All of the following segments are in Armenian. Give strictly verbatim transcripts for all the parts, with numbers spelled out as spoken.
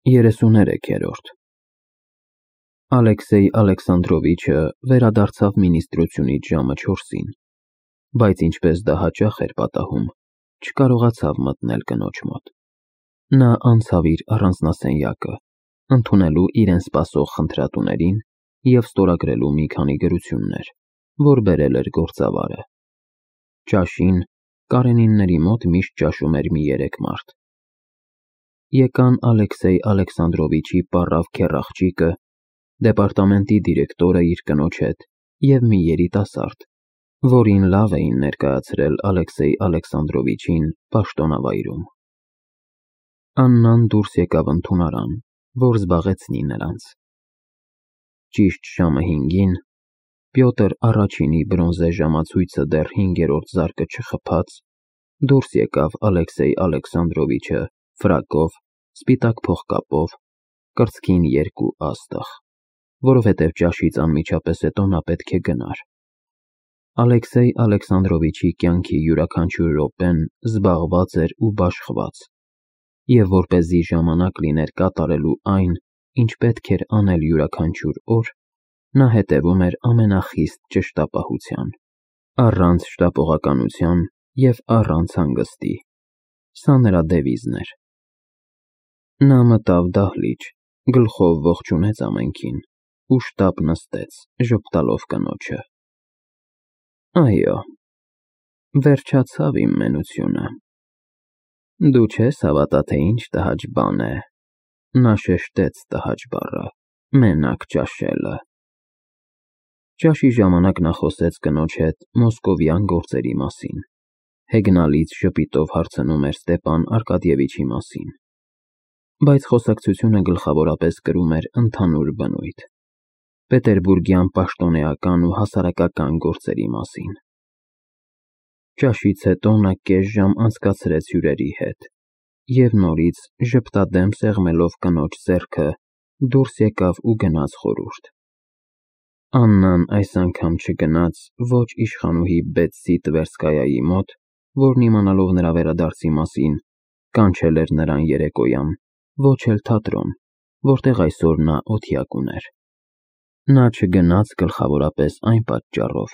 երեսուներեքերորդ Ալեքսեյ Ալեքսանդրովիչը վերադարձավ մինիստրությունից ժամը չորսին, բայց ինչպես դա հաճախ էր պատահում, չկարողացավ մտնել կնոջ մոտ։ Նա անցավ իր առանձնասենյակը, ընդունելու իրեն սպասող խնդրատուներին և ստորագրելու մի քանի գրություններ, որ բերել էր գործավարը։ Ճաշին Կարենինների մոտ միշտ ճաշում էր մի երեք մարդ։ Եկան Ալեքսեյ Ալեքսանդրովիչի պառավ քեռ-աղջիկը, դեպարտամենտի դիրեկտորը իր կնոջ հետ և մի երիտասարդ, որին լավ էին ներկայացրել Ալեքսեյ Ալեքսանդրովիչին պաշտոնավայրում։ Աննան դուրս եկավ ընդունարան, որ զբաղեցնի նրանց։ Ճիշտ ժամը հինգին Պյոտր Առաջինի բրոնզե ժամացույցը դեռ հինգերորդ զարկը չխփած, դուրս եկավ Ալեքսեյ Ալեքսանդրովիչը ֆրակով, սպիտակ փողկապով, կրծքին երկու աստղ, որովհետև ճաշից անմիջապես հետո նա պետք է գնար։ Ալեքսեյ Ալեքսանդրովիչի կյանքի յուրաքանչյուր րոպեն զբաղված էր ու բաշխված, և որպեսզի ժամանակ լիներ կատարելու այն, ինչ պետք էր անել յուրաքանչյուր օր, նա հետևում էր ամենախիստ ճշտապահության, առանց շտապողականության և առանց հանգստի։ Սա նրա դևիզն էր։ Նա մտավ դահլիճ, գլխով ողջունեց ամենքին ու շտապ նստեց, ժպտալով կնոջը։ Այո, վերջացավ իմ մենությունը։ Դու չես հավատա, թե ինչ տհաճ բան է, նա շեշտեց տհաճ բառը, մենակ ճաշելը։ Ճաշի ժամանակ նա խոսեց կնոջ հետ մոսկովյան գործերի մասին, հեգնալից ժպիտով հարցնում էր Ստեպան Արկադիևիչի մասին, բայց խոսակցությունը գլխավորապես կրում էր ընդհանուր բնույթ, պետերբուրգյան պաշտոնեական ու հասարակական գործերի մասին։ Ճաշից հետո նա կես ժամ անցկացրեց հյուրերի հետ և նորից ժպտադեմ սեղմելով կնոջ ձեռքը դուրս եկավ ու գնաց խորհուրդ։ Աննան այս անգամ չգնաց ոչ իշխանուհի Բետսի Տվերսկայայի մոտ, որն իմանալով նրա վերադարձի մասին, կանչել էր նրան երեկոյան, ոչ էլ թատրոն, որտեղ այսօր նա օթյակ ուներ։ Նա չգնաց գլխավորապես այն պատճառով,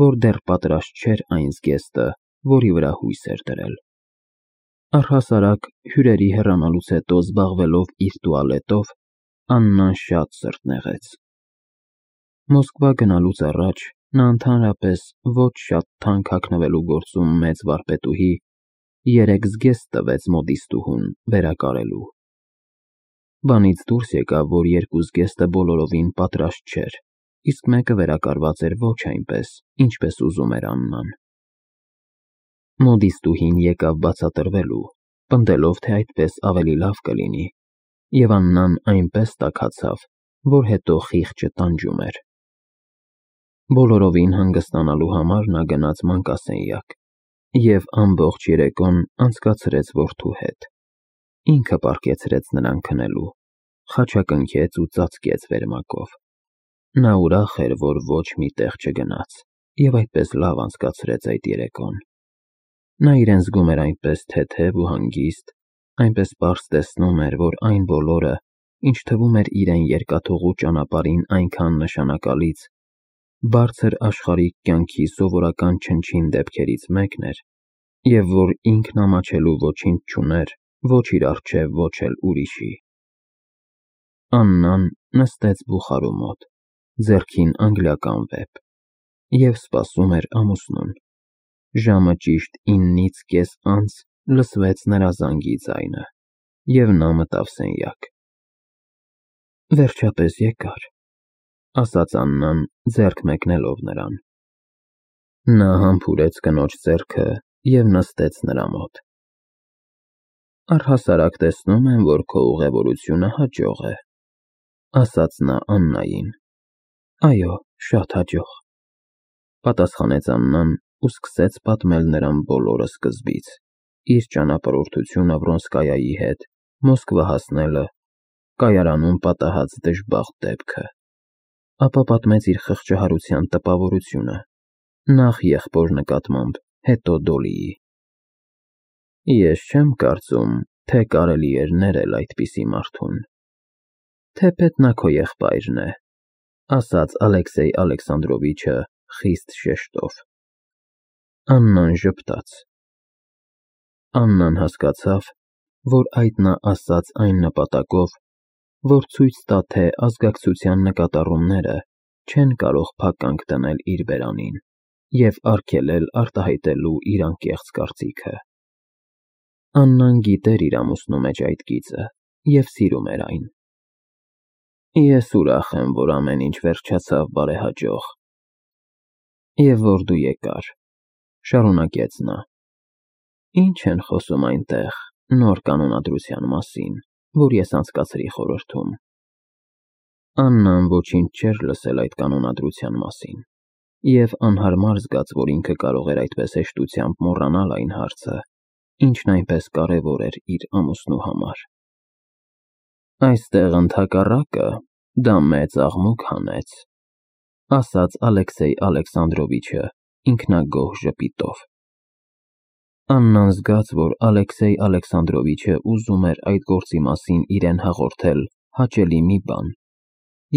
որ դեռ պատրաստ չէր այն զգեստը, որի վրա հույս էր դրել։ Առհասարակ հյուրերի հեռանալուց հետո զբաղվելով իր տուալետով, Աննան շատ սրտնեղեց։ Մոսկվա գնալուց առաջ նա ընդհանրապես ոչ շատ թանկ հագնվելու գործում մեծ վարպետուհի երեք զգեստ տվեց մոդիստուհուն վերակարելու։ Բանից դուրս եկավ, որ երկու զգեստը բոլորովին պատրաստ չէր, իսկ մեկը վերակարված էր ոչ այնպես, ինչպես ուզում էր Աննան։ Մոդիստուհին եկավ բացատրվելու, պնդելով, թե այդպես ավելի լավ կլինի, և Աննան այնպես տաքացավ, որ հետո խիղճը տանջում էր։ Բոլորովին հանգստանալու համար նա գնաց մանկասենյակ և ամբողջ երեկոն անցկացրեց որդու հետ։ Ինքը պառկեցրեց նրան քնելու, խաչակնքեց ու ծածկեց վերմակով։ Նա ուրախ էր, որ ոչ մի տեղ չգնաց և այդպես լավ անցկացրեց այդ երեկոն։ Նա իրեն զգում էր այնպես թեթև ու հանգիստ, այնպես պարզ տեսնում էր, որ այն բոլորը, ինչ թվում էր իրեն երկաթուղու ճանապարհին այնքան նշանակալից, բարձր աշխարհիկ կյանքի սովորական չնչին դեպքերից մեկն էր, և որ ինքն ամաչելու ոչինչ չուներ ոչ իր առջև, ոչ էլ ուրիշի։ Աննան նստեց բուխարու մոտ, ձեռքին անգլիական վեպ, և սպասում էր ամուսնուն։ Ժամը ճիշտ իննից կես անց լսվեց նրա զանգի ձայնը, և նա մտավ սենյակ։ Վերջապես եկար, ասաց Աննան, ձեռք մեկնելով նրան։ Նա համբուրեց կնոջ ձեռքը և նստեց նրա մոտ։ Առհասարակ տեսնում եմ, որ քո ուղևորությունը հաջող է, ասաց նա Աննային։ Այո, շատ հաջող, պատասխանեց Աննան ու սկսեց պատմել նրան բոլորը սկզբից, իր ճանապարհորդությունը Վրոնսկայայի հետ, Մոսկվա հասնելը, կայարանում պատահած դժբախտ դեպքը, ապա պատմեց իր խղճահարության տպավորությունը, նախ եղբոր նկատմամբ, հետո Դոլիի։ Ես չեմ կարծում, թե կարելի էր ներել այդպիսի մարդուն, Թեպետ նա քո եղբայրն է, ասաց Ալեքսեյ Ալեքսանդրովիչը խիստ շեշտով։ Աննան ժպտաց։ Աննան հասկացավ, որ այդ նա ասաց այն նպատակով, որ ցույց տա, թե ազգակցության նկատառումները չեն կարող փականք դնել իր բերանին և արգելել արտահայտելու իր անկեղծ կարծիքը։ Աննան գիտեր իր ամուսնու մեջ այդ գիծը և սիրում էր այն։ Ես ուրախ եմ, որ ամեն ինչ վերջացավ բարեհաջող։ Եվ որ դու եկար, շարունակեց նա։ Ինչ են խոսում այնտեղ նոր կանոնադրության մասին, որ ես անցկացրի խորհրդում։ Աննան ոչինչ չէր լսել այդ կանոնադրության մասին, և անհարմար զգաց, որ ինքը կարող էր այդպես հեշտությամբ մոռանալ այն հարցը, ինչն այնպես կարևոր էր իր ամուսնու համար։ Այստեղ ընդհակառակը դա մեծ աղմուկ հանեց, ասաց Ալեքսեյ Ալեքսանդրովիչը ինքնագոհ ժպիտով։ Աննան զգաց, որ Ալեքսեյ Ալեքսանդրովիչը ուզում էր այդ գործի մասին իրեն հաղորդել հաճելի մի բան,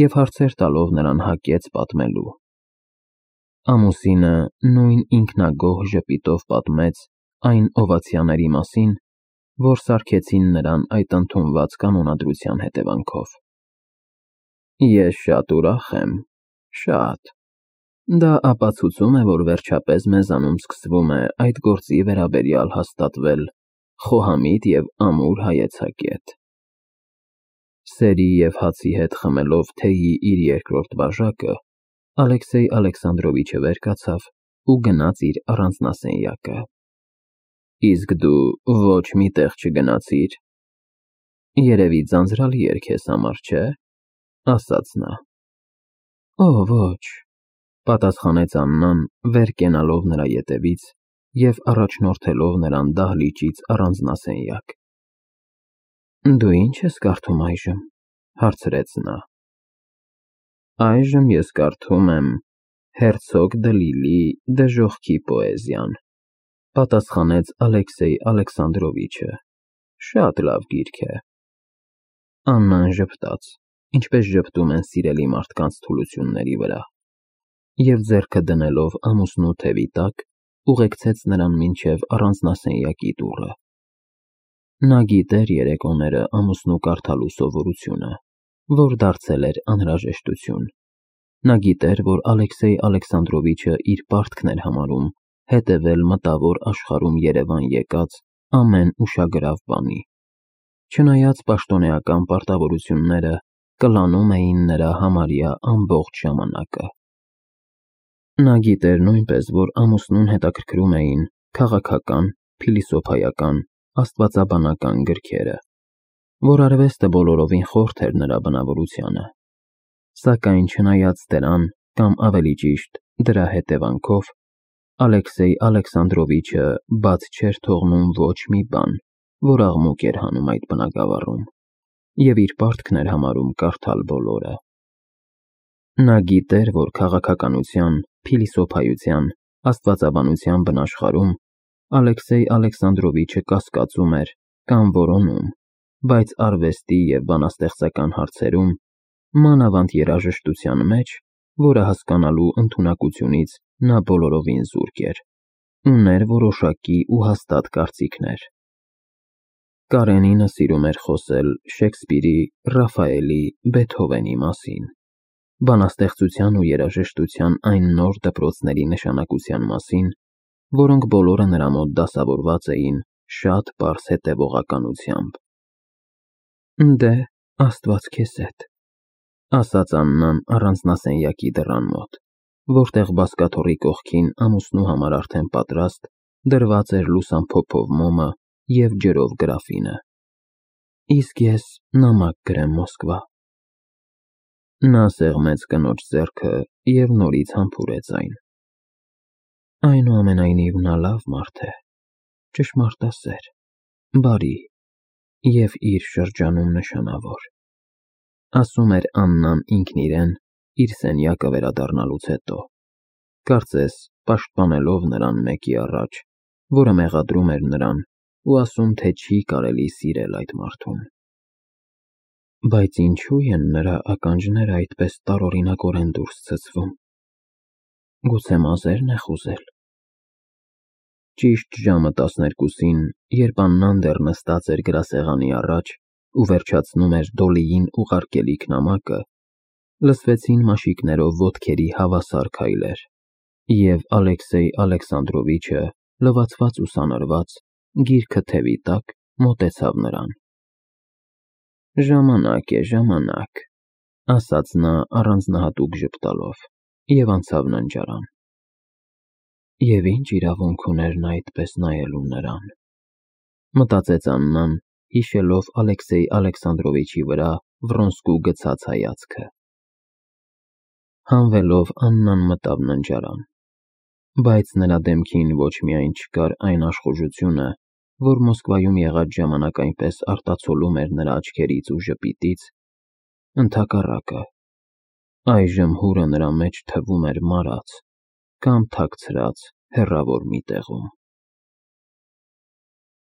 և հարցեր տալով նրան հակեց պատմելու։ Ամուսինը նույն ինքնագոհ ժպիտով պատմեց այն օվացիաների մասին, որ սարքեցին նրան այդ ընդունված կանոնադրության հետևանքով։ Ես շատ ուրախ եմ, շատ։ Դա ապացուցում է, որ վերջապես մեզանում սկսվում է այդ գործի վերաբերյալ հաստատվել խոհամիտ և ամուր հայեցակետ։ Սերի և հացի հետ խմելով թեյի իր երկրորդ բաժակը, Ալեքսեյ Ալեքսանդրովիչը վեր կացավ ու գնաց իր առանձնասենյակը։ Իսկ դու ոչ մի տեղ չգնացիր։ Երևի ձանձրալի էր քեզ համար, չէ՞, ասաց նա։ Օ, ոչ, պատասխանեց Աննան, վեր կենալով նրա ետևից և առաջնորդելով նրան դահլիճից առանձնասենյակ։ Դու ի՞նչ ես կարդում այժմ, հարցրեց նա։ Այժմ ես կարդում եմ Հերցոգ Դլիլի դժոխքի պոեզիան, պատասխանեց Ալեքսեյ Ալեքսանդրովիչը։ Շատ լավ գիրք է։ Աննան ժպտաց, ինչպես ժպտում են սիրելի մարդկանց թուլությունների վրա, և ձեռքը դնելով ամուսնու թևի տակ, ուղեկցեց նրան մինչև առանձնասենյակի դուռը։ Նա գիտեր երեկոները ամուսնու կարդալու սովորությունը, որ դարձել էր անհրաժեշտություն։ Նա գիտեր, որ Ալեքսեյ Ալեքսանդրովիչը իր պարտքն էր համարում հետևել մտավոր աշխարհում երևան եկած ամեն ուշագրավ բանի, չնայած պաշտոնեական պարտավորությունները կլանում էին նրա համարյա ամբողջ ժամանակը։ Նա գիտեր նույնպես, որ ամուսնուն հետաքրքրում էին քաղաքական, փիլիսոփայական, աստվածաբանական գրքերը, որ արվեստը բոլորովին խորթ էր նրա բնավորությանը, սակայն չնայած դրան, կամ ավելի ճիշտ, դրա հետևանքով, Ալեքսեյ Ալեքսանդրովիչը բաց չէր թողնում ոչ մի բան, որ աղմուկ էր հանում այդ բնագավառում, և իր պարտքն էր համարում կարդալ բոլորը։ Նա գիտեր, որ քաղաքականության, փիլիսոփայության, աստվածաբանության բնաշխարհում Ալեքսեյ Ալեքսանդրովիչը կասկածում էր կամ որոնում, բայց արվեստի և բանաստեղծական հարցերում, մանավանդ երաժշտության մեջ, որը հասկանալու ընդունակությունից նա բոլորովին զուրկ էր, ուներ որոշակի ու հաստատ կարծիքներ։ Կարենինը սիրում էր խոսել Շեքսպիրի, Ռաֆայելի, Բեթհովենի մասին, բանաստեղծության ու երաժշտության այն նոր դպրոցների նշանակության մասին, որոնք բոլորը նրա մոտ դասավորված էին շատ պարզ հետևողականությամբ։ Դե, Աստված քեզ հետ, ասաց Աննան առանձնասենյակի դռան մոտ, որտեղ բազկաթոռի կողքին ամուսնու համար արդեն պատրաստ դրված էր լուսամփոփով մոմը և ջրով գրաֆինը։ Իսկ ես նամակ կգրեմ Մոսկվա։ Նա սեղմեց կնոջ ձեռքը և նորից համբուրեց այն։ Այնուամենայնիվ նա լավ մարդ է, ճշմարտասեր, բարի և իր շրջանում նշանավոր, ասում էր Աննան ինքն իրեն իր սենյակը վերադառնալուց հետո, կարծես պաշտպանելով նրան մեկի առաջ, որը մեղադրում էր նրան ու ասում, թե չի կարելի սիրել այդ մարդուն։ Բայց ինչու են նրա ականջները այդպես տարօրինակորեն դուրս ցցվում։ Գուցե մազե՞ռն է խուզել։ Ճիշտ ժամը տասներկուսին, երբ Աննան դեռ նստած էր գրասեղանի առաջ ու վերջացնում էր Դոլիին ուղարկելիք նամակը, լսվեցին մաշիկներով ոտքերի հավասար քայլեր, և Ալեքսեյ Ալեքսանդրովիչը, լվացված ու սանրված, գիրքը թևի տակ, մոտեցավ նրան։ Ժամանակ է, ժամանակ, ասաց նա առանձնահատուկ ժպտալով և անցավ ննջարան։ Եվ ինչ իրավունք ուներ նա այդպես նայելու նրան, մտածեց Աննան, հիշելով Ալեքսեյ Ալեքսանդրովիչի վրա Վռոնսկու գցած հայացքը։ Հանվելով Աննան մտավ ննջարան, բայց նրա դեմքին ոչ միայն չկար այն աշխուժությունը, որ Մոսկվայում եղած ժամանակ այնպես արտացոլում էր նրա աչքերից ու ժպիտից, ընդհակառակը, այժմ հուրը նրա մեջ թվում էր մարած կամ թաքցրած հեռավոր մի տեղում։